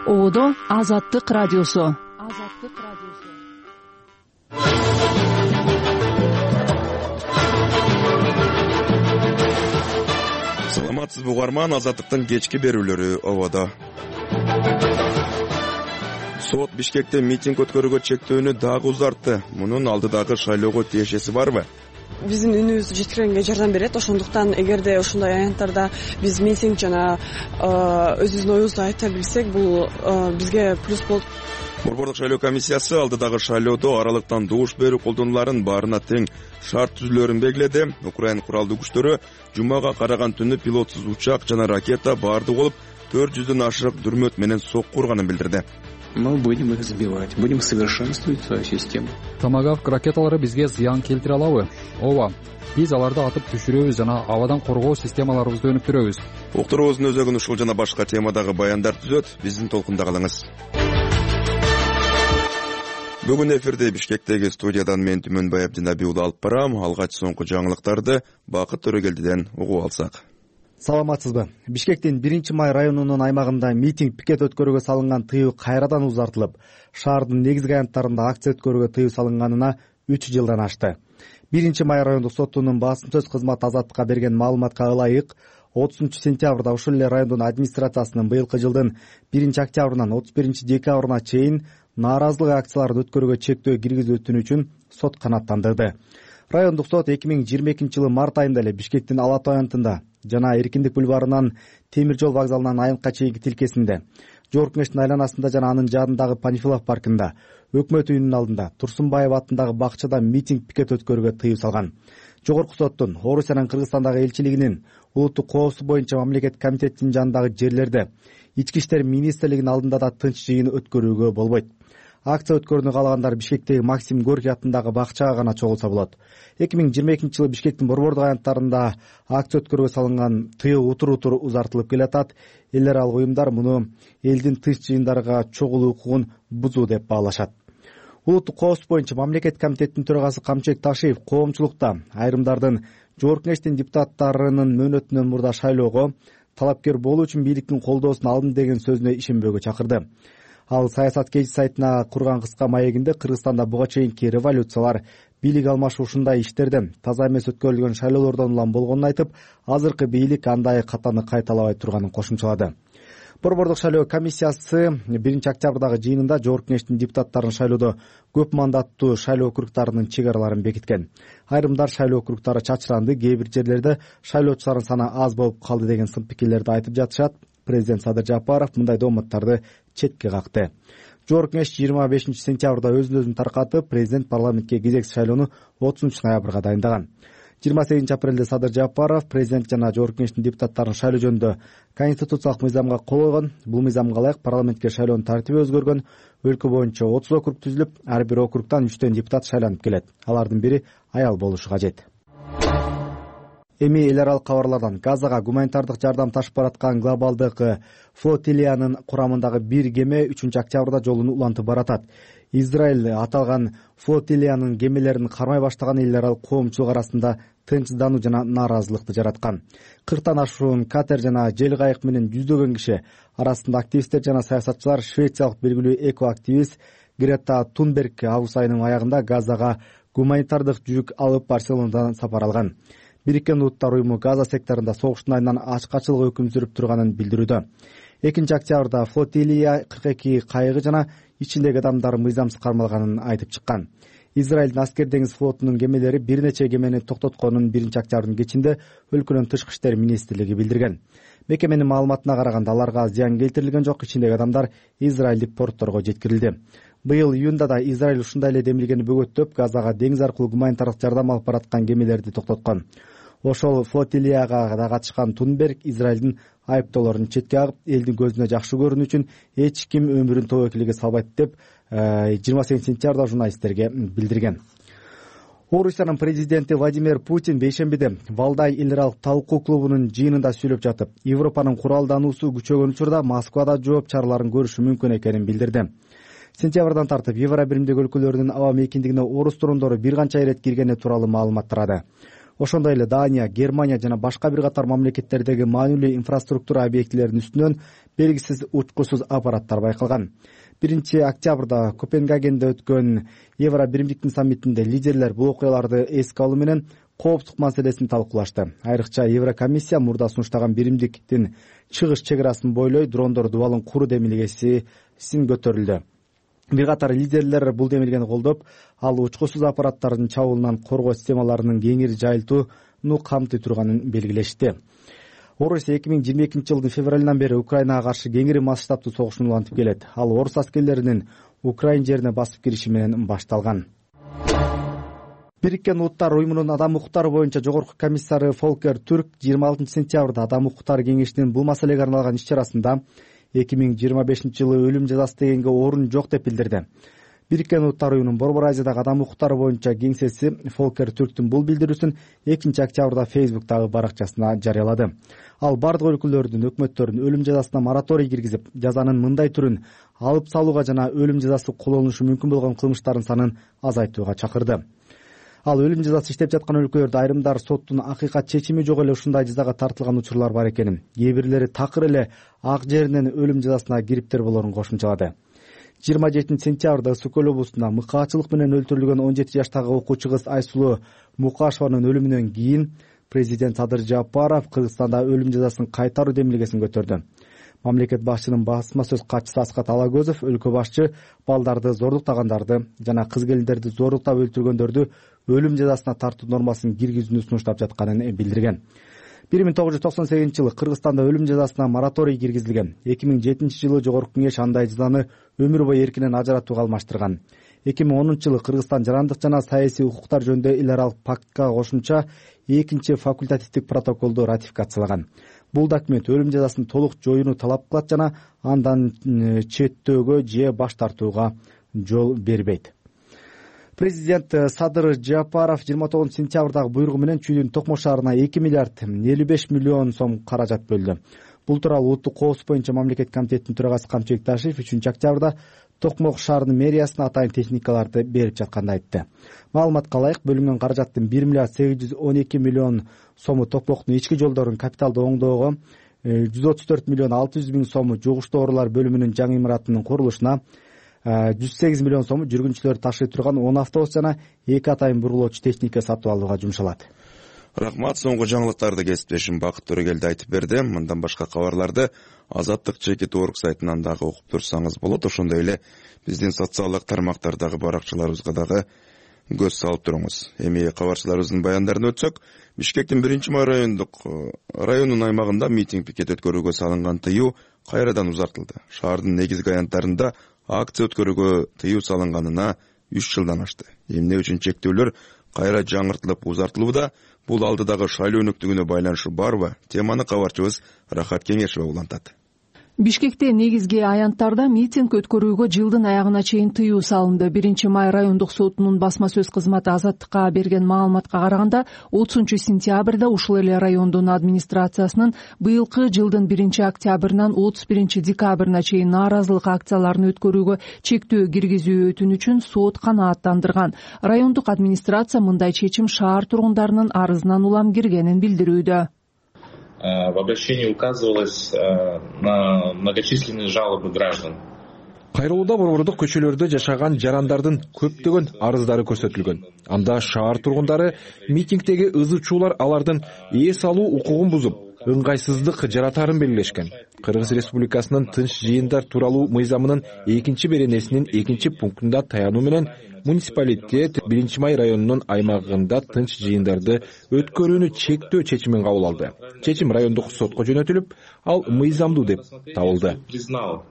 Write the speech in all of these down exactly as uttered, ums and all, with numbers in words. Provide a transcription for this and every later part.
Ободо Азаттык радиосу. Азаттык радиосу. Саламатсызбы угарман, Азаттыктын кечки берүүлөрү ободо. Сот Бишкекте митинг өткөрүүгө чектөөнү дагы узартты. Мунун алдыдагы шайлоого тиешеси барбы? Биздин үнүбүздү жеткиргенге жардам берет. Ошондуктан эгерде ушундай аянттарда биз митинг жана өзүбүздүн оюбузду айта билсек, бул бизге плюс болот. Борбордук шайлоо комиссиясы алдыдагы шайлоодо аралыктан добуш берүү колдонуларын баарына тең шарт түзүүлөрүн белгиледи. Украин куралдуу күчтөрү жумага караган түнү пилотсуз учак жана ракета баардык болуп төрт жүздөн ашык дүрмөт менен сокку урганын билдирди. Мы будем их сбивать, будем совершенствовать свою систему. Томагавк ракеталары бизге зыян келтире алабы? Ооба. Биз аларды атып түшүрөбүз жана абадан коргоо системаларыбызды өнүктүрөбүз. Уктуруубуздун өзөгүн ушул жана башка темадагы баяндар түзөт. Биздин толкунда калыңыз. Бүгүн эфирде Бишкектеги студиядан мен Түмөнбай Абдинабий уулу алып барам. Алгач соңку жаңылыктарды Бакыт Төрөгелдиден угуп алсак. Саламатсызбы? Бишкектин биринчи май районунун аймагында митинг пикет өткөрүүгө салынган тыюу кайрадан узартылып, шаардын негизги аянттарында акция өткөрүүгө тыюу салынганына үч жылдан ашты. биринчи май райондук сотунун басым сөз кызматы Азаттыкка берген маалыматка ылайык, отузунчу сентябрда ушул эле райондун администрациясынын быйылкы жылдын биринчи октябрынан отуз биринчи декабрына чейин нааразылык акцияларын өткөрүүгө чектөө киргизүүтүн үчүн сот канааттандырды. Райондук сот эки миң жыйырма экинчи жылы март айында эле Бишкектин Ала Тоо аянтында жана Эркиндик бульварынан темир жол вокзалынан аянтка чейинки тилкесинде, Жогорку Кеңештин айланасында жана анын жанындагы Панфилов паркында, Өкмөт үйүнүн алдында, Турсунбаев атындагы бакчада митинг пикет өткөрүүгө тыюу салган. Жогорку соттун, Орусиянын Кыргызстандагы элчилигинин, улуттук коопсуздук боюнча мамлекеттик комитеттин жанындагы жерлерде, Ички иштер министрлигинин алдында да тынч жыйын өткөрүүгө болбойт. Акция өткөрүүнү каалагандар Бишкектеги Максим Горький атындагы бакчага гана чогулса болот. эки миң жыйырма экинчи жылы Бишкектин борбордук аянттарында акция өткөрүүгө салынган тыюу утур-утур узартылып келатат. Эл аралык уюмдар муну элдин тынч жыйындарга чогулуу укугун бузуу деп баалашат. Улуттук коопсуздук боюнча мамлекеттик комитеттин төрагасы Камчыбек Ташиев коомчулукта айрымдардын Жогорку Кеңештин депутаттарынын мөөнөтүнөн мурда шайлоого талапкер болуу үчүн бийликтин колдоосун алдым деген сөзүнө ишенбөөгө чакырды. Ал Саясат кечи сайтына курган кыска маегинде Кыргызстанда буга чейинки революциялар, бийлик алмашуу ушундай иштерден, таза эмес өткөрүлгөн шайлоолордон улам болгонун айтып, азыркы бийлик андай катаны кайталабай турганын кошумчалады. Борбордук шайлоо комиссиясы биринчи октябрдагы жыйынында Жогорку Кеңештин депутаттарын шайлоодо көп мандаттуу шайлоо округтарынын чек араларын бекиткен. Айрымдар шайлоо округтары чачыранды, кээ бир жерлерде шайлоочулардын саны аз болуп калды деген сын пикирлерди айтып жатышат. Президент Садыр Жапаров мындай дооматтарды четке какты. Жогорку Кеңеш жыйырма бешинчи сентябрда өзүн өзүн таркатып, президент парламентке кезекси шайлоону отузунчу ноябрга дайындаган. жыйырма сегизинчи апрелде Садыр Жапаров президент жана Жогорку Кеңештин депутаттарын шайлоо жөнүндө конституциялык мыйзамга кол койгон. Бул мыйзамга ылайык парламентке шайлоонун тартиби өзгөргөн. Өлкө боюнча отуз округ түзүлүп, ар бир округтан үчтөн депутат шайланып келет. Алардын бири аял болушу кажет. Эми эл аралык кабарлардан Газага гуманитардык жардам ташып бараткан глобалдык флотилиянын курамындагы бир кеме үчүнчү октябрда жолун улантып баратат. Израиль аталган флотилиянын кемелерин кармай баштаган эл аралык коомчулук арасында тынчсыздануу жана нааразылыкты жараткан. кырктан ашуун катер жана жел кайык менен жүздөгөн киши арасында активисттер жана саясатчылар швециялык белгилүү эко-активист Грета Тунберг август айынын аягында Газага гуманитардык жүк алып Барселонадан сапар алган. Бириккен Улуттар уюму Газа секторунда согуштун айынан ачкачылык өкүм сүрүп турганын билдирүүдө. экинчи октябрда флотилия кырк эки кайыгы жана ичиндеги адамдар мыйзамсыз кармалганын айтып чыккан. Израилдин аскер деңиз флотунун кемелери бир нече кемени токтотконун биринчи октябрдын кечинде өлкөнүн тышкы иштер министрлиги билдирген. Мекеменин маалыматына караганда аларга зыян келтирилген жок, ичиндеги адамдар израилдик портторго жеткирилди. Быйыл июнда да Израиль ушундай эле демилгени бөгөттөп, Газага деңиз аркылуу гуманитардык жардам алып бараткан кемелерди токтоткон. Ошол флотилияга да катышкан Тунберг Израилдин айыптоолорун четке агып, элдин көзүнө жакшы көрүнүү үчүн эч ким өмүрүн тобокелге салбайт деп жыйырма сегизинчи сентябрда журналисттерге билдирген. Орусиянын президенти Владимир Путин бейшембиде Валдай эл аралык талкуу клубунун жыйынында сүйлөп жатып, Европанын куралдануусу күчөгөн учурда Москвада жооп чараларын көрүшү мүмкүн экенин билдирди. Сентябрдан тартып Евро биримдик өлкөлөрүнүн аба мейкиндигине орус турундору бир канча ирет киргени тууралуу маалымат тарады. Ошондой эле Дания, Германия жана башка бир катар мамлекеттердеги маанилүү инфраструктура объектилеринин үстүнөн белгисиз учкусуз аппараттар байкалган. Биринчи октябрда Копенгагенде өткөн Евро биримдиктин саммитинде лидерлер бул окуяларды эске алуу менен кооптук маселесин талкуулашты. Айрыкча Еврокомиссия мурда сунуштаган биримдиктин чыгыш чек арасын бойлой дрондор дубалын куруу демилгесисин көтөрүлдү. Бир катар лидерлер бул демилгени колдоп, ал учкусуз аппараттардын чабуулунан коргоо системаларынын кеңири жайылтууну камтый турганын белгилешти. Орусия эки миң жыйырма экинчи жылдын февралынан бери Украинага каршы кеңири масштабтуу согушун улантып келет. Ал орус аскерлеринин Украин жерине басып кириши менен башталган. Бириккен Улуттар уюмунун адам укуктары боюнча жогорку комиссары Фолкер Түрк жыйырма алтынчы сентябрда адам укуктары кеңешинин бул маселеге арналган иш-чарасында эки миң жыйырма бешинчи жылы өлүм жазасы дегенге орун жок деп билдирди. Бириккен Улуттар уюмунун Борбор Азиядагы адам укуктары боюнча кеңсеси Фолкер Түрктүн бул билдирүүсүн экинчи октябрда Фейсбуктагы баракчасына жарыялады. Ал бардык өлкөлөрдүн өкмөттөрүн өлүм жазасына мораторий киргизип, жазанын мындай түрүн алып салууга жана өлүм жазасы колдонулушу мүмкүн болгон кылмыштардын санын азайтууга чакырды. Ал өлүм жазасы иштеп жаткан өлкөлөрдө айрымдар соттун акыйкат чечими жок эле ушундай жазага тартылган учурлар бар экенин, кээ бирлери такыр эле ак жеринен өлүм жазасына кириптер болорун кошумчалады. жыйырма жетинчи сентябрда Ысык көл облусунда мыкаачылык менен өлтүрүлгөн он жети жаштагы окуучу кыз Айсулуу Мукашеванын өлүмүнөн кийин президент Садыр Жапаров Кыргызстанда өлүм жазасын кайтаруу демилгесин көтөрдү. Мамлекет башчынын басма сөз катчысы Аскат Алагөзов өлкө башчы балдарды зордуктагандарды жана кыз келиндерди зордуктап өлтүргөндөрдү өлүм жазасына тартуу нормасын киргизүүнү сунуштап жатканын билдирген. бир миң тогуз жүз токсон сегизинчи жылы Кыргызстанда өлүм жазасына мораторий киргизилген. эки миң жетинчи жылы Жогорку Кеңеш андай жазаны өмүр бою эркинен ажыратууга алмаштырган. эки миң онунчу жылы Кыргызстан жарандык жана саясий укуктар жөнүндө эл аралык пактка кошумча экинчи факультативдик протоколду ратификациялаган. Бул документ өлүм жазасын толук жоюуну талап кылат жана андан четтөөгө же баш тартууга жол бербейт. Президент Садыр Жапаров жыйырма тогузунчу сентябрдагы буйругу менен Чүйдүн Токмок шаарына эки миллиард элүү беш миллион сом каражат бөлдү. Бул тууралуу Улуттук коопсуздук боюнча мамлекет комитетинин төрагасы Камчыбек Ташиев үчүнчү октябрда Токмок шаарынын мэриясына атайын техникаларды берип жатканын айтты. Маалыматка ылайык, бөлүнгөн каражаттын бир миллиард сегиз жүз он эки миллион сому Токмоктун ички жолдорун капиталдуу оңдоого, жүз отуз төрт миллион алты жүз миң сому жугуштуу оорулар бөлүмүнүн жаңы имаратынын курулушуна, жүз сегиз миллион сому жүргүнчүлөрдү ташый турган он автобус жана эки атайын бургулоочу техника сатып алууга жумшалат. Рахмат, соңку жаңылыктарды кесиптешим Бакыт Төрөгелди айтып берди. Мындан башка кабарларды Азаттык чекит точка орг сайтынан дагы окуп турсаңыз болот. Ошондой эле биздин социалдык тармактардагы баракчаларыбызга дагы көз салып туруңуз. Эми кабарчыларыбыздын баяндарын өтсөк, Бишкектин биринчи май райондук районунун аймагында митинг пикет өткөрүүгө салынган тыюу кайрадан узартылды. Шаардын негизги аянттарында акция өткөрүүгө тыюу салынганына үч жылдан ашты. Эмне үчүн чектөөлөр кайра жаңыртылып узартылууда? Бул алдыдагы шайлоо өнөктүгүнө байланышы барбы? Теманы кабарчыбыз Рахат Кеңешева улантат. Бишкекте негизги аянттарда митинг өткөрүүгө жылдын аягына чейин тыюу салынды. биринчи май райондук сотунун басма сөз кызматы Азаттыкка берген маалыматка караганда, отузунчу сентябрда ушул эле райондун администрациясынын быйылкы жылдын биринчи октябрынан отуз биринчи декабрына чейин нааразылык акцияларын өткөрүүгө чектөө киргизүү өтүнүчүн сот канааттандырган. Райондук администрация мындай чечим шаар тургундарынын арызынан улам киргенин билдирүүдө. В обращении указывалось на многочисленные жалобы граждан. Кайрылууда борбордук көчөлөрдө жашаган жарандардын көптөгөн арыздары көрсөтүлгөн. Анда шаар тургундары митингдеги ызы чуулар алардын эс алуу укугун бузуп, ыңгайсыздык жаратарын белгилешкен. Кыргыз Республикасынын тынч жыйындар тууралуу мыйзамынын экинчи беренесинин экинчи пунктунда таянуу менен муниципалитет биринчи май районунун аймагында тынч жыйындарды өткөрүүнү чектөө чечимин кабыл алды. Чечим райондук сотко жөнөтүлүп, ал мыйзамдуу деп табылды. Признал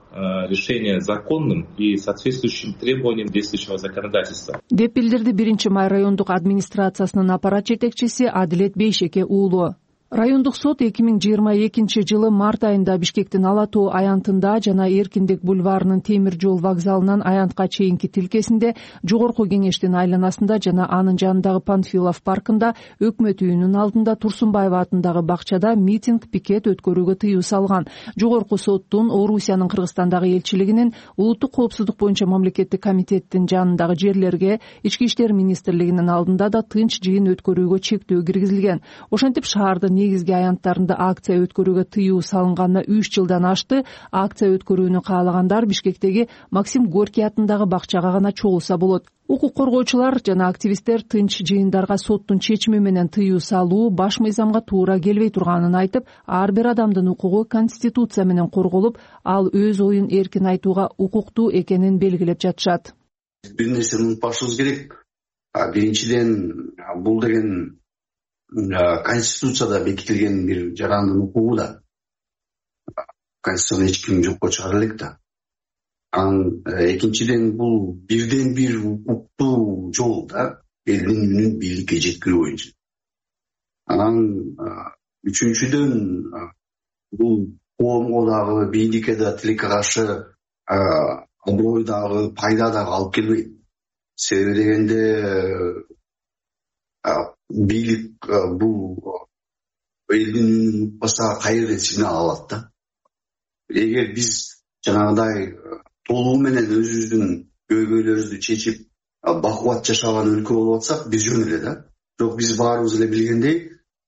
решение законным и соответствующим требованиям действующего законодательства. Деп билдирди биринчи май райондук администрациясынын аппарат жетекчиси Адилет Бейшеке уулу. Райондук сот эки миң жыйырма экинчи жылы март айында Бишкектин Ала тоо аянтында жана Эркиндик бульварынын темир жол вокзалынан аянтка чейинки тилкесинде, Жогорку кеңештин айланасында жана анын жанындагы Панфилов паркында, Өкмөт үйүнүн алдында, Турсунбаева атындагы бакчада митинг, пикет өткөрүүгө тыюу салган. Жогорку соттун, Орусиянын Кыргызстандагы элчилигинин, Улуттук коопсуздук боюнча мамлекеттик комитеттин жанындагы жерлерге, Ички иштер министрлигинин алдында да тынч жыйын өткөрүүгө чектөө киргизилген. Ошентип шаардын негизги аянттарында акция өткөрүүгө тыюу салынганына үч жылдан ашты. Акция өткөрүүнү каалагандар Бишкектеги Максим Горький атындагы бакчага гана чогулса болот. Укук коргоочулар жана активисттер тынч жыйындарга соттун чечими менен тыюу салуу баш мыйзамга туура келбей турганын айтып, ар бир адамдын укугу Конституция менен корголуп, ал өз оюн эркин айтууга укуктуу экенин белгилеп жатышат. Бир нерсени унутпашыбыз керек. Биринчиден, бул деген Конституцияда бекитилген бир жарандын укугу да. Конституцияны эч ким жокко чыгара элек да. Анан экинчиден, бул бирден бир укуктуу жол да, элдин үнүн бийликке жеткирүү боюнча. Анан үчүнчүдөн, бул коомго дагы, бийликке да, тилекке каршы аброй дагы, пайда дагы алып келбейт. Себеби дегенде бийлик бул элдин үнүн укпаса кайерден сигнал алат да. Эгер биз жанагыдай толугу менен өзүбүздүн көйгөйлөрүбүздү чечип бакубат жашаган өлкө болуп атсак, биз жөн эле да. Бирок биз баарыбыз эле билгендей,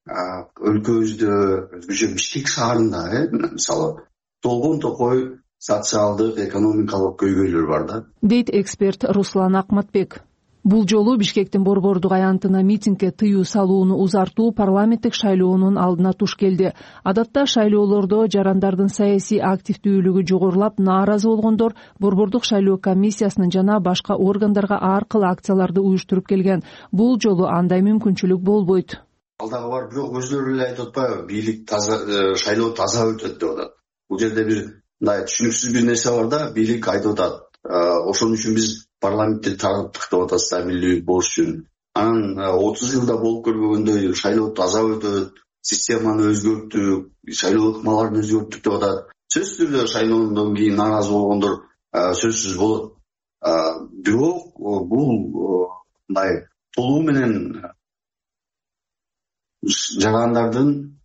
өлкөбүздө өзгөчө Бишкек шаарында, мисалы, толгон токой социалдык, экономикалык көйгөйлөр бар да, дейт эксперт Руслан Акматбек. Бул жолу Бишкектин Борбордук аянтына митингге тыюу салууну узартуу парламенттик шайлоонун алдына туш келди. Адатта шайлоолордо жарандардын саясий активдүүлүгү жогорулап, нааразы болгондор Борбордук шайлоо комиссиясынын жана башка органдарга аркылуу акцияларды уюштуруп келген. Бул жолу андай мүмкүнчүлүк болбойт. Алдагы бар, бирок өзлөрү эле айтып атпайбы, бийлик таза, шайлоо таза өтөт деп атат. Бул жерде бир мындай түшүнүксүз бир нерсе бар да, бийлик айтып атат. Ошон үчүн биз парламентте тарттык деп атат, стабилдүүлүк болуш үчүн. Анан отуз жылда болуп көрбөгөндөй шайлоо таза өтөт, системаны өзгөрттүк, шайлоо ыкмаларын өзгөрттүк деп атат. Сөзсүз түрдө шайлоодон кийин нааразы болгондор сөзсүз болот. Бирок бул мындай толугу менен жарандардын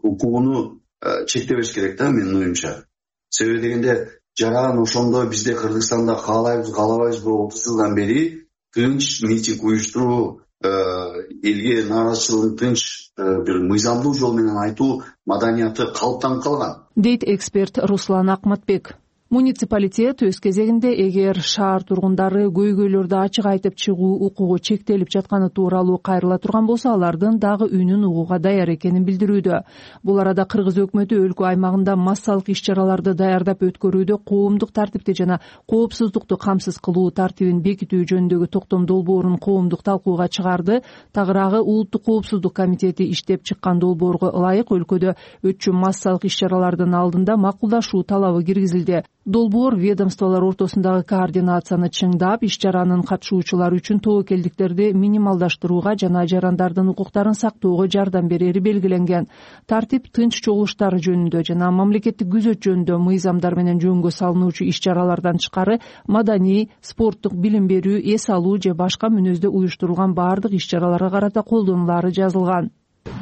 укугуну чектебеш керек да, менин оюмча. Себеби дегенде, жаран ошондой бизде Кыргызстанда каалайбыз, каалабайбызбы, отуз жылдан бери тынч митинг уюштуруу, элге нааразычылыгын тынч бир мыйзамдуу жол менен айтуу маданияты калыптанып калган, дейт эксперт Руслан Акматбек. Муниципалитет өз кезегинде эгер шаар тургундары көйгөйлөрдү ачык айтып чыгуу укугу чектелип жатканы тууралуу кайрыла турган болсо, алардын дагы үнүн угууга даяр экенин билдирүүдө. Бул арада Кыргыз өкмөтү өлкө аймагында массалык иш-чараларды даярдап өткөрүүдө коомдук тартипти жана коопсуздукту камсыз кылуу тартибин бекитүү жөнүндөгү токтом долбоорун коомдук талкууга чыгарды. Тагыраагы Улуттук коопсуздук комитети иштеп чыккан долбоорго ылайык өлкөдө өтчү массалык иш-чаралардын алдында макулдашуу талабы киргизилди. Долбоор ведомстволор ортосундагы координацияны чыңдап, иш-чаранын катышуучулары үчүн тобокелдиктерди минималдаштырууга жана жарандардын укуктарын сактоого жардам берери белгиленген. Тартип тынч чогулуштар жөнүндө жана мамлекеттик күзөт жөнүндө мыйзамдар менен жөнгө салынуучу иш-чаралардан тышкары маданий, спорттук, билим берүү, эс алуу же башка мүнөздө уюштурулган баардык иш-чараларга карата колдонулаары жазылган.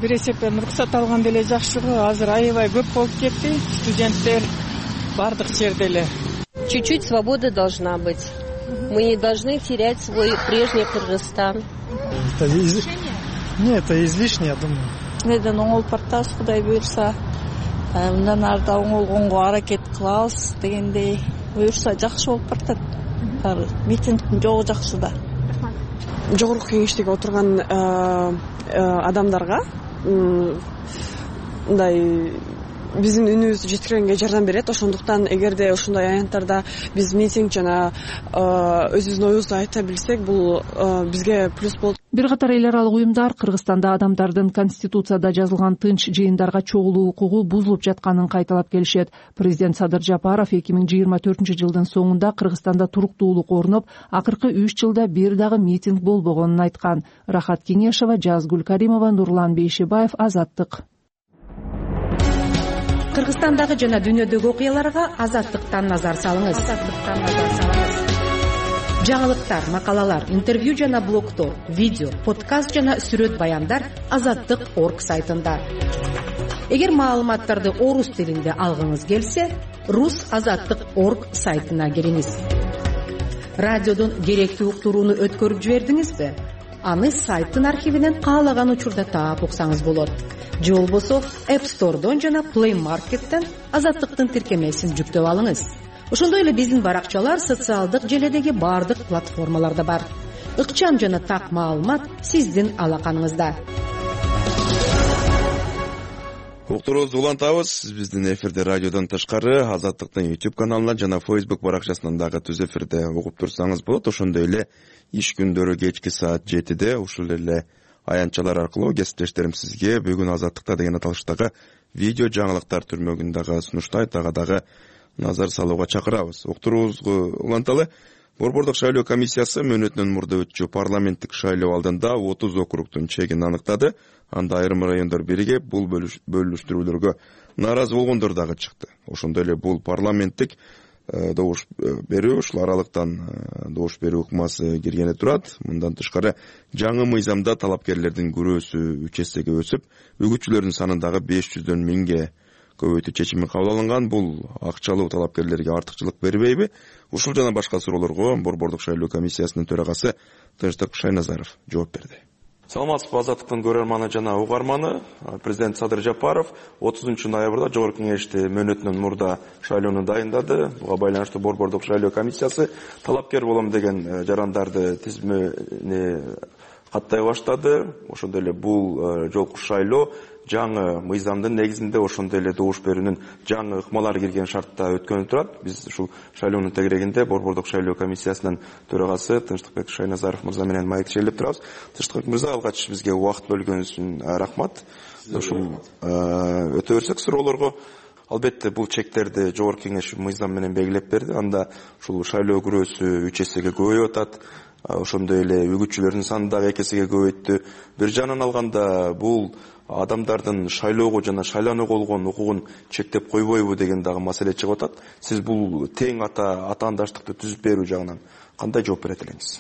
Бир эсептен уруксат алганда эле жакшы го, азыр аябай көп болуп кетти студенттер. Бардык жерде эле. Чуть-чуть свобода должна быть. Мы не должны терять свой прежний Кыргызстан. Это излишнее? Нет, это излишнее, я думаю. Неден оңол партабыз, Кудай буйрса. Мындан арда оңолгонго аракет кылабыз дегендей буйрса жакшы болуп баратат. Митингдин жолу жакшы да. Жогорку кеңештеги отурган адамдарга мындай биздин үнүбүздү жеткиргенге жардам берет. Ошондуктан эгерде ушундай аянттарда биз митинг жана өзүбүздүн оюбузду айта билсек, бул бизге плюс болот. Бир катар эл аралык уюмдар Кыргызстанда адамдардын Конституцияда жазылган тынч жыйындарга чогулуу укугу бузулуп жатканын кайталап келишет. Президент Садыр Жапаров эки миң жыйырма төртүнчү жылдын соңунда Кыргызстанда туруктуулук орноп, акыркы үч жылда бир дагы митинг болбогонун айткан. Рахат Кеңешова, Жазгүл Каримова, Нурлан Бейшебаев, Азаттык. Кыргызстандагы жана дүйнөдөгү окуяларга Азаттыктан назар салыңыз. Азаттыктан назар салыңыз. Жаңылыктар, макалалар, интервью жана блогтор, видео, подкаст жана сүрөт баяндар азаттык точка орг сайтында. Эгер маалыматтарды орус тилинде алгыңыз келсе, рус азаттык точка орг сайтына кириңиз. Радиодон керектүү уктурууну өткөрүп жибердиңизби? Аны сайттын архивинен каалаган учурда таап уксаңыз болот. Же болбосо App Store'дон жана Play Market'тен азаттыктын тиркемесин жүктөп алыңыз. Ошондой эле биздин баракчалар социалдык желедеги бардык платформаларда бар. Ыкчам жана так маалымат сиздин алаканыңызда. Уктуруубузду улантабыз. Сиз биздин эфирде радиодон тышкары Азаттыктын YouTube каналынан жана Facebook баракчасынан дагы түз эфирде угуп турсаңыз болот. Ошондой эле иш күндөрү кечки саат жетиде ушул эле аянтчалар аркылуу кесиптештерим сизге бүгүн Азаттыкта деген аталыштагы видео жаңылыктар түрмөгүндагы сунуштайт, ага дагы назар салууга чакырабыз. Уктуруубузду уланталы. Борбордук шайлоо комиссиясы мөөнөтүнөн мурда өтчү парламенттик шайлоо алдында отуз округдун чегин аныктады. Анда айрым райондор биригип, бул бөлүштүрүүлөргө нааразы болгондор дагы чыкты. Ошондой эле бул парламенттик добуш берүү, ушул аралыктан добуш берүү ыкмасы киргени турат. Мындан тышкары жаңы мыйзамда талапкерлердин күрөөсү үч эсеге өсүп, үгүтчүлөрдүн санын дагы беш жүздөн миңге көбөйтүү чечими кабыл алынган. Бул акчалуу талапкерлерге артыкчылык бербейби? Ушул жана башка суроолорго Борбордук шайлоо комиссиясынын төрагасы Тынчтык Шайназаров жооп берди. Саламатсызбы, Азаттыктын көрөрманы жана угарманы. Президент Садыр Жапаров отузунчу ноябрда Жогорку Кеңеште мөөнөтүнөн мурда шайлоону дайындады. Буга байланыштуу Борбордук шайлоо комиссиясы талапкер болом деген жарандарды тизмени каттай баштады. Ошондой эле бул жолку шайлоо жаңы мыйзамдын негизинде, ошондой эле добуш берүүнүн жаңы ыкмалары кирген шартта өткөнү турат. Биз ушул шайлоонун тегерегинде Борбордук шайлоо комиссиясынын төрагасы Тынчтыкбек Шайназаров мырза менен маектешелеп турабыз. Тынчтыкбек мырза, алгач бизге убакыт бөлгөнүңүз үчүн рахмат. Ушул өтө берсек суроолорго, албетте бул чектерди Жогорку Кеңеш мыйзам менен белгилеп берди. Анда ушул шайлоо күрөөсү үч эсеге көбөйүп атат. Ошондой эле үгүтчүлөрдүн саны дагы эки эсеге көбөйттү. Бир жагынан алганда бул адамдардын шайлоого жана шайланууга болгон укугун чектеп койбойбу деген дагы маселе чыгып атат. Сиз бул тең ата атаандаштыкты түзүп берүү жагынан кандай жооп берет элеңиз?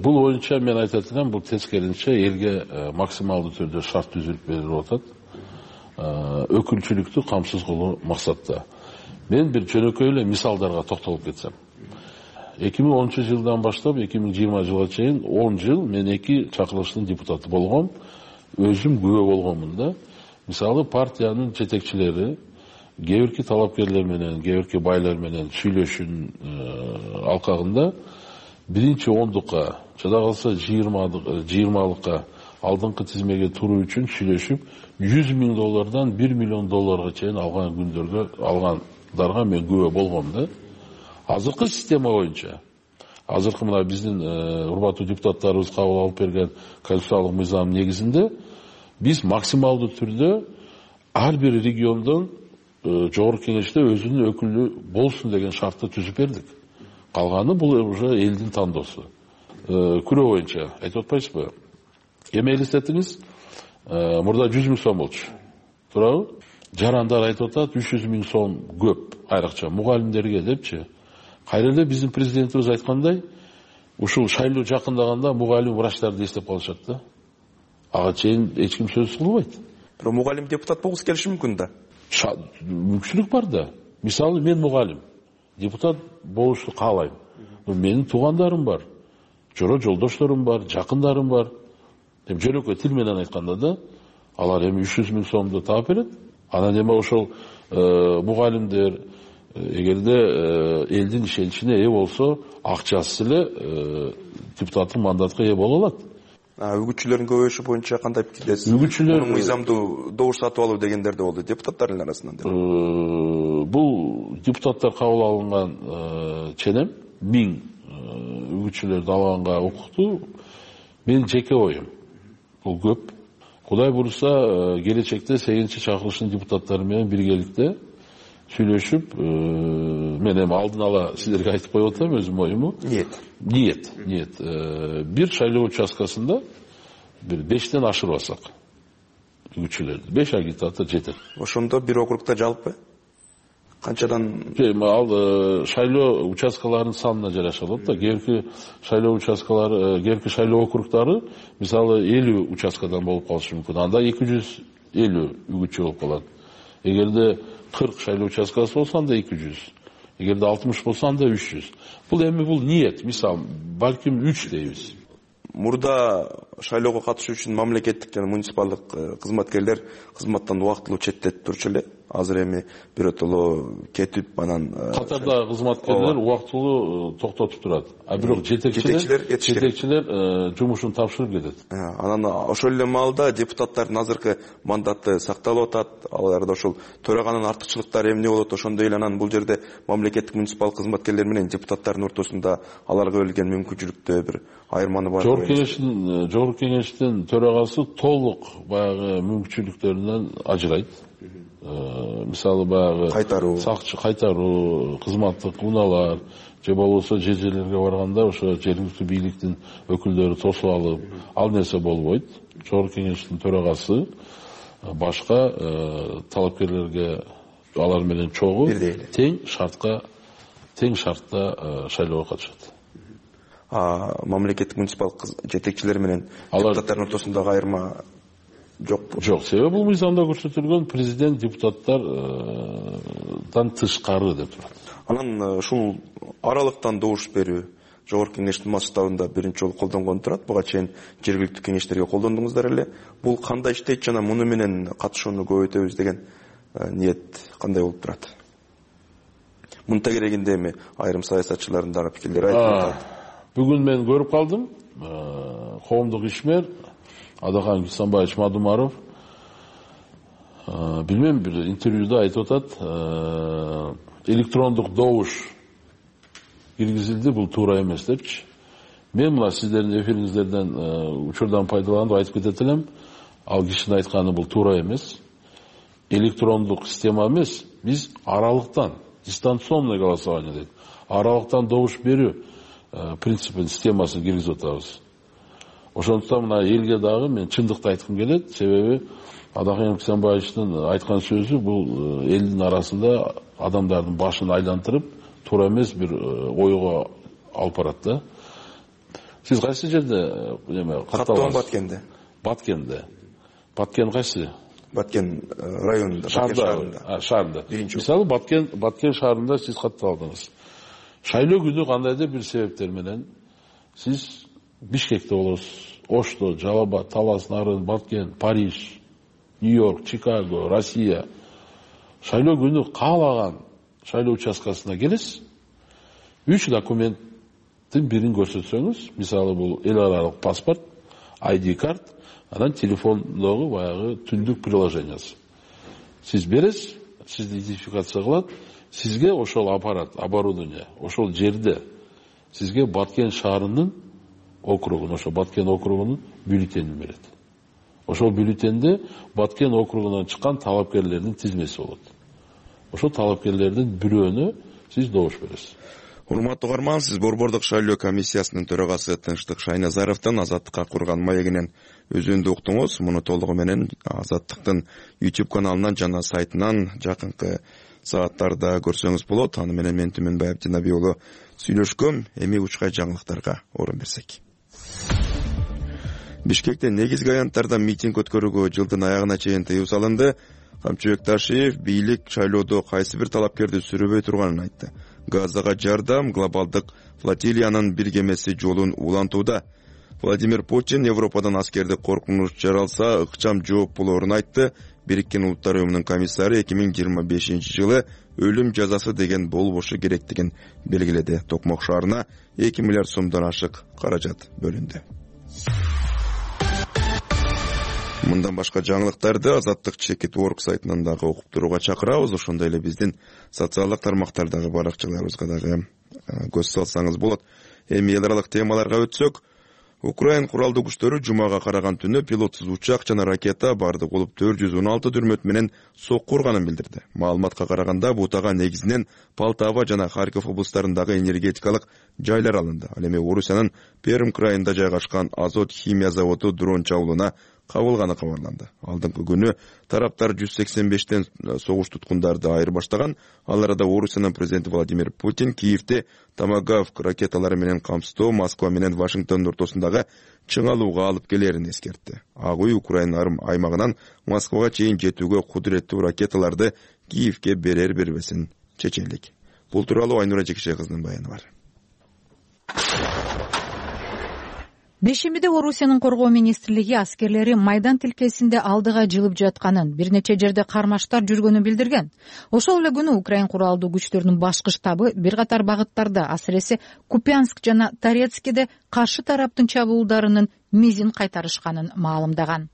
Бул боюнча мен айтат элем, бул тескерисинче элге максималдуу түрдө шарт түзүлүп берилип атат. Өкүлчүлүктү камсыз кылуу максатта. Мен бир жөнөкөй эле мисалдарга токтолуп кетсем. эки миң онунчу жылдан баштап эки миң жыйырма жылга чейин он жыл мен эки чакырылыштын депутаты болгом. Өзүм күбө болгонмун да. Мисалы партиянын жетекчилери кээ бирки талапкерлер менен, кээ бирки байлар менен сүйлөшүүнүн алкагында биринчи ондукка, жада калса жыйырмалыкка алдыңкы тизмеге туруу үчүн сүйлөшүп, жүз миң доллардан бир миллион долларга чейин алган күндөргө алгандарга мен күбө болгом да. Азыркы система боюнча, азыркы мына биздин урматтуу депутаттарыбыз кабыл алып берген конституциялык мыйзам негизинде биз максималдуу түрдө ар бир региондон Жогорку Кеңеште өзүнүн өкүлү болсун деген шартты түзүп бердик. Калганы бул уже элдин тандоосу. Күрөө боюнча айтып атпайсызбы? Эми элестетиңиз, мурда жүз миң сом болчу. Туурабы? Жарандар айтып атат, үч жүз миң сом көп айрыкча мугалимдерге депчи. Кайра эле биздин президентибиз айткандай, ушул шайлоо жакындаганда мугалим врачтарды эстеп калышат да. Ага чейин эч ким сөз кылбайт. Бирок мугалим депутат болгусу келиши мүмкүн да. Мүмкүнчүлүк бар да. Мисалы мен мугалим, депутат болушту каалайм. Менин туугандарым бар, жора жолдошторум бар, жакындарым бар. Эми жөнөкөй тил менен айтканда да, алар эми үч жүз миң сомду таап берет. Анан эми ошол мугалимдер эгерде элдин ишеничине ээ болсо, акчасыз эле депутаттык мандатка ээ боло алат. Үгүтчүлөрдүн көбөйүшү боюнча кандай пикирдесиз? Үгүтчүлөр мыйзамдуу добуш сатып алуу дегендер да болду депутаттардын арасынан. Бул депутаттар кабыл алынган ченем миң үгүтчүлөрдү алганга укуктуу. Менин жеке оюм бул көп. Кудай буюрса, келечекте сегизинчи чакырылыштын депутаттары менен биргеликте сүйлөшүп, мен эми алдын ала силерге айтып коюп атам өзүмдүн оюму. Ниет. Ниет, ниет. Бир шайлоо участкасында бир бештен ашырбасак үгүтчүлөрдү, беш агитатор жетет. Ошондо бир округда жалпы канчадан? Ал шайлоо участкаларынын санына жараша болот да. Кээинки шайлоо участкалары, кээинки шайлоо округдары мисалы элүү участкадан болуп калышы мүмкүн. Анда эки жүз элүү үгүтчү болуп калат. Эгерде кырк шайлоо участкасы болсо анда эки жүз. Эгерде алтымыш болсо анда үч жүз. Бул эми бул ниет, мисалы, балким үч дейбиз. Мурда шайлоого катышуу үчүн мамлекеттик жана муниципалдык кызматкерлер кызматтан убактылуу четтетип турчу эле. Азыр эми биротоло кетип анан катарда кызматкерлер убактылуу токтотуп турат. А бирок жетекчилер жетекчилер жумушун тапшырып кетет. Анан ошол эле маалда депутаттардын азыркы мандаты сакталып атат. Аларда ошол төраганын артыкчылыктары эмне болот? Ошондой эле анан бул жерде мамлекеттик муниципалдык кызматкерлер менен депутаттардын ортосунда аларга берилген мүмкүнчүлүктө бир айырманы бар. Жогорку кеңештин жогорку кеңештин төрагасы толук баягы мүмкүнчүлүктөрүнөн ажырайт. Мисалы баягы кайтаруу, сакчы кайтаруу, кызматтык унаалар же болбосо же жерлерге барганда ошо жергиликтүү бийликтин өкүлдөрү тосуп алып, ал нерсе болбойт. Жогорку кеңештин төрагасы башка талапкерлерге алар менен чогуу тең шартка тең шартта шайлоого катышат. А мамлекеттик муниципалдык жетекчилер менен депутаттардын ортосундагы айырма жокпу? Жок, себеби бул мыйзамда көрсөтүлгөн президент депутаттардан тышкары деп турат. Анан ушул аралыктан добуш берүү жогорку кеңештин масштабында биринчи жолу колдонгон турат. Буга чейин жергиликтүү кеңештерге колдондуңуздар эле. Бул кандай иштейт жана муну менен катышууну көбөйтөбүз деген ниет кандай болуп турат? Мунун тегерегинде эми айрым саясатчылардын дагы пикирлери айтылып атат. Бүгүн мен көрүп калдым. Коомдук ишмер Адахан Гисанбаевич Мадумаров билмем бир интервьюда айтып атат, электрондук добуш киргизилди, бул туура эмес депчи. Мен мына сиздердин эфириңиздерден учурдан пайдаланып айтып кетет элем, ал кишинин айтканы бул туура эмес. Электрондук система эмес, биз аралыктан, дистанционный голосование дейт. Аралыктан добуш берүү принципин, системасын киргизип атабыз. Ошондуктан мына элге дагы мен чындыкты айткым келет, себеби Адахан Гисанбаевичтин айткан сөзү бул элдин арасында адамдардын башын айлантырып, туура эмес бир ойго алып барат да. Сиз кайсы жерде эме катталасыз? Баткенде. Баткенде. Баткен кайсы? Баткен районунда, шаарында. Шаарында. Мисалы Баткен Баткен шаарында сиз катталдыңыз. Шайлоо күнү кандайдыр бир себептер менен сиз Бишкекте болосуз, Ошто, Жалалабад, Талас, Нарын, Баткен, Париж, Нью-Йорк, Чикаго, Россия. Шайлоо күнү каалаган шайлоо участкасына келесиз. Үч документтин бирин көрсөтсөңүз, мисалы бул эл аралык паспорт, ай ди карт, анан телефондогу баягы түндүк приложениясы. Сиз бересиз, сизди идентификация кылат, сизге ошол аппарат, оборудование, ошол жерде сизге Баткен шаарынын округун, ошо Баткен округунун бюллетенин берет. Ошол бюллетенде Баткен округунан чыккан талапкерлердин тизмеси болот. Ошол талапкерлердин бирөөнө сиз добуш бересиз. Урматтуу угарман, сиз Борбордук шайлоо комиссиясынын төрагасы Тынчтык Шайназаровдун Азаттыкка курган маегинен өзүндү уктуңуз. Муну толугу менен Азаттыктын YouTube каналынан жана сайтынан жакынкы сааттарда көрсөңүз болот. Аны менен мен Түмөнбаев Жанаби уулу сүйлөшкөм. Эми учкай жаңылыктарга орун берсек. Бишкекте негизги аянттарда митинг өткөрүүгө жылдын аягына чейин тыюу салынды. Камчыбек Ташиев бийлик шайлоодо кайсы бир талапкерди сүрөбөй турганын айтты. Газага жардам глобалдык флотилиянын бир кемеси жолун улантууда. Владимир Путин Европадан аскерди коркунуч жаралса ыкчам жооп болоорун айтты. Бириккен Улуттар уюмунун комиссары эки миң жыйырма бешинчи жылы өлүм жазасы деген болбошу керектигин белгиледи. Токмок шаарына эки миллиард сомдон ашык каражат бөлүндү. Мындан башка жаңылыктарды Азаттык Чекит Орг сайтынан дагы окуп турууга чакырабыз. Ошондой эле биздин социалдык тармактардагы баракчаларыбызга дагы көз салсаңыз болот. Эми эл аралык темаларга өтсөк, Украин куралдуу күчтөрү жумага караган түнү пилотсуз учак жана ракета бардык болуп төрт жүз он алты дүрмөт менен сокку урганын билдирди. Маалыматка караганда бутага негизинен Полтава жана Харьков облустарындагы энергетикалык жайлар алынды. Ал эми Орусиянын Перм крайында жайгашкан Азот химия заводу дрон чабуулуна кабылганы кабарланды. Алдыңкы күнү тараптар жүз сексен бештен согуш туткундарды айыр баштаган. Ал арада Орусиянын президенти Владимир Путин Киевде Томагавк ракеталары менен камсыздоо Москва менен Вашингтондун ортосундагы чыңалууга алып келерин эскертти. Ак үй Украина аймагынан Москвага чейин жетүүгө кудуреттүү ракеталарды Киевге берер бербесин чечелик. Бул тууралуу Айнура Жекеше кызынын баяны бар. Бешемиде Орусиянын коргоо министрлиги аскерлери Майдан тилкесинде алдыга жылып жатканын, бир нече жерде кармаштар жүргөнүн билдирген. Ошол эле күнү Украин куралдуу күчтөрүнүн башкы штабы бир катар багыттарда, асыресе Купянск жана Торецкиде каршы тараптын чабуулдарынын мизин кайтарышканын маалымдаган.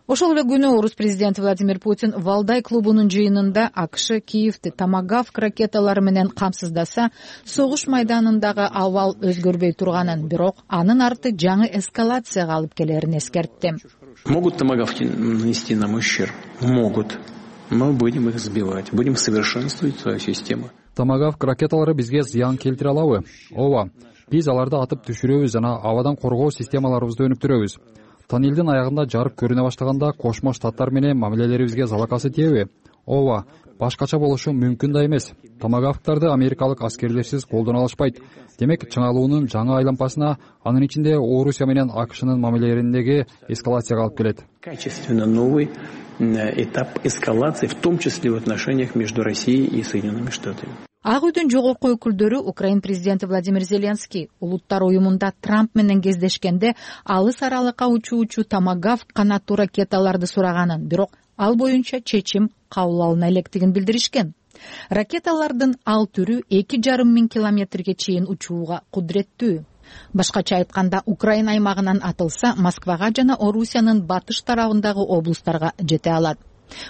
Ошол эле күнү орус президенти Владимир Путин Валдай клубунун жыйынында АКШ Киевди Томагавк ракеталары менен камсыздаса, согуш майданындагы абал өзгөрбөй турганын, бирок анын арты жаңы эскалацияга алып келерин эскертти. Могут томагавки нанести нам ущерб? Могут. Мы будем их сбивать, будем совершенствовать свою систему. Томагавк ракеталары бизге зыян келтире алабы? Ооба. Биз аларды атып түшүрөбүз жана абадан коргоо системаларыбызды өнүктүрөбүз. Тоннелдин аягында жарык көрүнө баштаганда Кошмо Штаттар менен мамилелерибизге залакасы тиеби? Ооба, башкача болушу мүмкүн да эмес. Томагавктарды америкалык аскерлерсиз колдоно алышпайт. Демек, чыңалуунун жаңы айлампасына анын ичинде Орусия менен АКШнын мамилелериндеги эскалацияга алып келет. Качественно новый этап эскалации, в том числе в отношениях между Россией и Соединенными Штатами. Ак үйдүн жогорку өкүлдөрү Украин президенти Владимир Зеленский улуттар уюмунда Трамп менен кездешкенде алыс аралыкка учуучу Томагавк канаттуу ракеталарды сураганын, бирок ал боюнча чечим кабыл алына электигин билдиришкен. Ракеталардын ал түрү эки жарым миң километрге чейин учууга кудуреттүү. Башкача айтканда, Украин аймагынан атылса, Москвага жана Орусиянын батыш тарабындагы облустарга жете алат.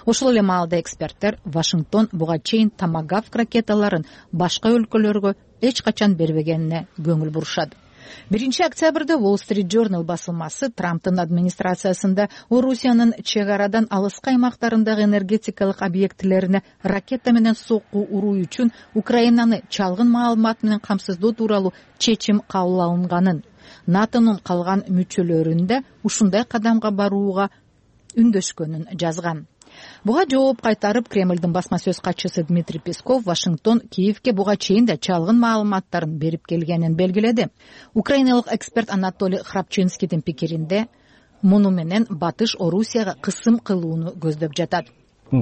Ошол эле маалда эксперттер Вашингтон буга чейин Томагавк ракеталарын башка өлкөлөргө эч качан бербегенине көңүл бурушат. биринчи октябрда Wall Street Journal басылмасы Трамптын администрациясында Орусиянын чек арадан алыскы аймактарындагы энергетикалык объектилерине ракета менен сокку уруу үчүн Украинаны чалгын маалымат менен камсыздоо тууралуу чечим кабыл алынганын, натонун калган мүчөлөрүндө ушундай кадамга барууга үндөшкөнүн жазган. Буга жооп кайтарып, Кремлдин басма сөз катчысы Дмитрий Песков Вашингтон Киевге буга чейин да чалгын маалыматтарын берип келгенин белгиледи. Украиналык эксперт Анатолий Храпчинскийдин пикиринде, муну менен батыш Орусияга кысым кылууну көздөп жатат.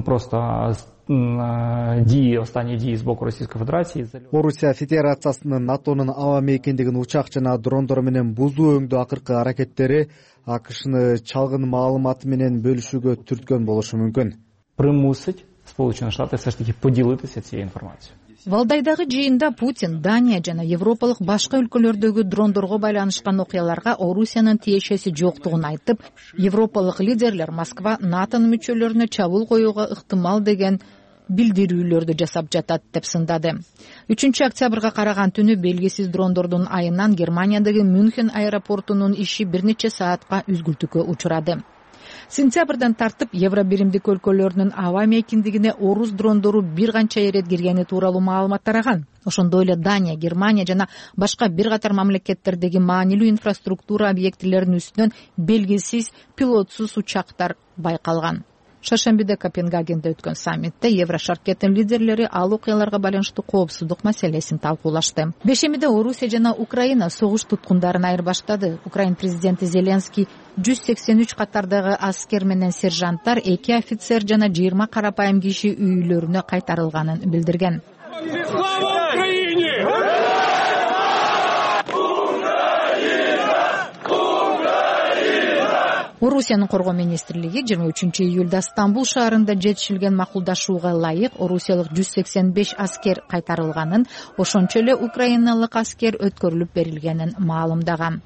Просто дии, останние дии с боку Российской Федерации. Орусия Федерациясынын натонун аба мейкиндигин учак жана дрондор менен бузуу өңдүү акыркы аракеттери АКШны чалгын маалыматы менен бөлүшүүгө түрткөн болушу мүмкүн. Примусить Сполученные Штаты все ж таки поделиться этой информацией. Валдайдагы жыйында Путин Дания жана европалык башка өлкөлөрдөгү дрондорго байланышкан окуяларга Орусиянын тиешеси жоктугун айтып, европалык лидерлер Москва натонун мүчөлөрүнө чабуул коюуга ыктымал деген билдирүүлөрдү жасап жатат деп сындады. үчүнчү октябрга караган түнү белгисиз дрондордун айынан Германиядагы Мюнхен аэропортунун иши бир нече саатка үзгүлтүккө учурады. Сентябрдан тартып Евро биримдик өлкөлөрүнүн аба мейкиндигине орус дрондору бир канча ирет киргени тууралуу маалымат тараган. Ошондой эле Дания, Германия жана башка бир катар мамлекеттердеги маанилүү инфраструктура объектилеринин үстүнөн белгисиз пилотсуз учактар байкалган. Шаршембиде Копенгагенде өткөн саммитте Еврошаркеттин лидерлери ал окуяларга байланыштуу коопсуздук маселесин талкуулашты. Бешемиде Орусия жана Украина согуш туткундарын айырбаштады. Украин президенти Зеленский жүз сексен үч катардагы аскер менен сержанттар, эки офицер жана жыйырма карапайым киши үйлөрүнө кайтарылганын билдирген. Слава Украине! Орусиянын коргоо министрлиги жыйырма үчүнчү июлда Стамбул шаарында жетишилген макулдашууга ылайык орусиялык жүз сексен беш аскер кайтарылганын, ошончо эле украиналык аскер өткөрүлүп берилгенин маалымдаган.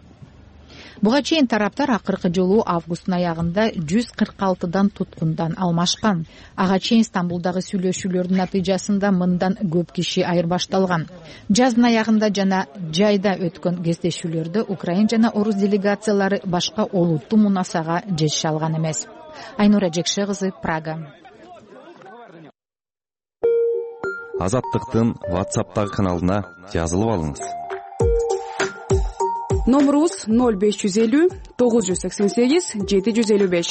Буга чейин тараптар акыркы жолу августтун аягында жүз кырк алтыдан туткундан алмашкан. Ага чейин Стамбулдагы сүйлөшүүлөрдүн натыйжасында мындан көп киши айырбашталган. Жаздын аягында жана жайда өткөн кездешүүлөрдө Украин жана Орус делегациялары башка олуттуу мунасага жетише алган эмес. Айнура Жекше кызы, Прага. Азаттыктын WhatsApp'тагы каналына жазылып алыңыз. Номерубуз ноль беш жүз элүү тогуз жүз сексен сегиз жети жүз элүү беш.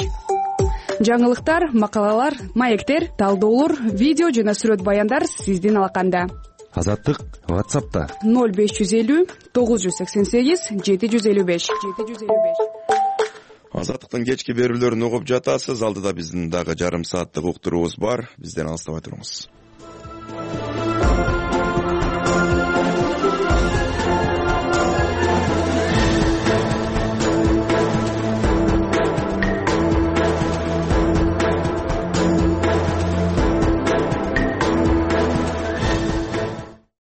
Жаңылыктар, макалалар, маектер, талдоолор, видео жана сүрөт баяндар сиздин алаканда. Азаттык WhatsApp'та ноль беш жүз элүү тогуз жүз сексен сегиз жети жүз элүү беш. Азаттыктын кечки берүүлөрүн угуп жатасыз. Алдыда биздин дагы жарым сааттык уктуруубуз бар. Бизден алыстабай туруңуз.